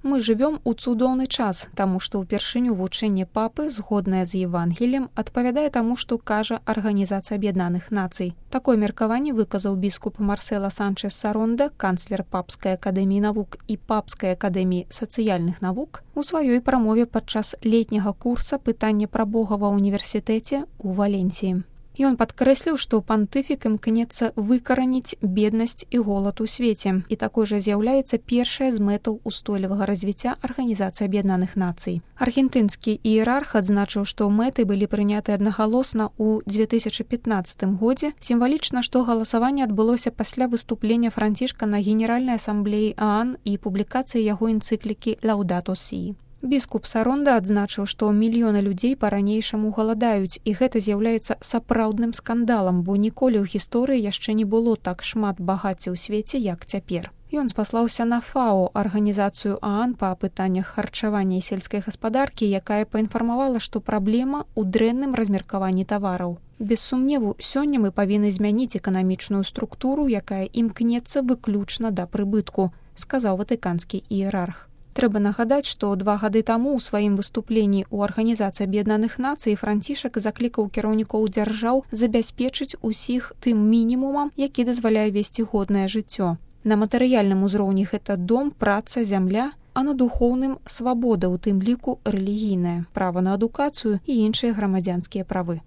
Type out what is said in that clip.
Мы жывём у цудоўны час, таму што ўпершыню вучэнне папы, згоднае з Евангеліем, адпавядае таму, што кажа Арганізацыя Аб'яднаных Нацый. Такое меркаванне выказаў біскуп Марсела Санчес Саронда, канцлер Папскай акадэміі навук і Папскай акадэміі сацыяльных навук, у сваёй прамове падчас летняга курса пытання пра Бога ва ўніверсітэце ў Валенсіі. Ён падкрэсліў, што пантыфік імкнецца выкараніць беднасць і голад у свеце, і такой жа з'яўляецца першая з мэтаў устойлівага развіцця Арганізацыі Аб'яднаных Нацый. Аргентынскі іерарх адзначыў, што мэты былі прыняты аднагалосна ў 2015 годзе, сімвалічна, што галасаванне адбылося пасля выступлення Францішка на Генеральнай асамблеі ААН і публікацыі яго энцыклікі «Лаудато Сі». Біскуп Саронда адзначыў, што мільёны людзей па-ранейшаму галадаюць, і гэта з'яўляецца сапраўдным скандалам, бо ніколі ў гісторыі яшчэ не было так шмат багацця ў свеце, як цяпер. Ён спаслаўся на ФАО, арганізацыю ААН па пытаннях харчавання і сельскай гаспадаркі, якая паінфармавала, што праблема ў дрэнным размеркаванні тавараў. Без сумневу, сёння мы павінны змяніць эканамічную структуру, якая імкнецца выключна да прыбытку, сказаў ватыканскі іерарх. Трэба нагадаць, што 2 гады таму ў сваім выступленні ў Арганізацыі Аб'яднаных Нацый Францішак заклікаў кіраўнікоў дзяржаў забяспечыць усіх тым мінімумам, які дазваляе весці годнае жыццё. На матэрыяльным узроўні гэта дом, праца, зямля, а на духоўным свабода, у тым ліку рэлігійная, права на адукацыю і іншыя грамадзянскія правы.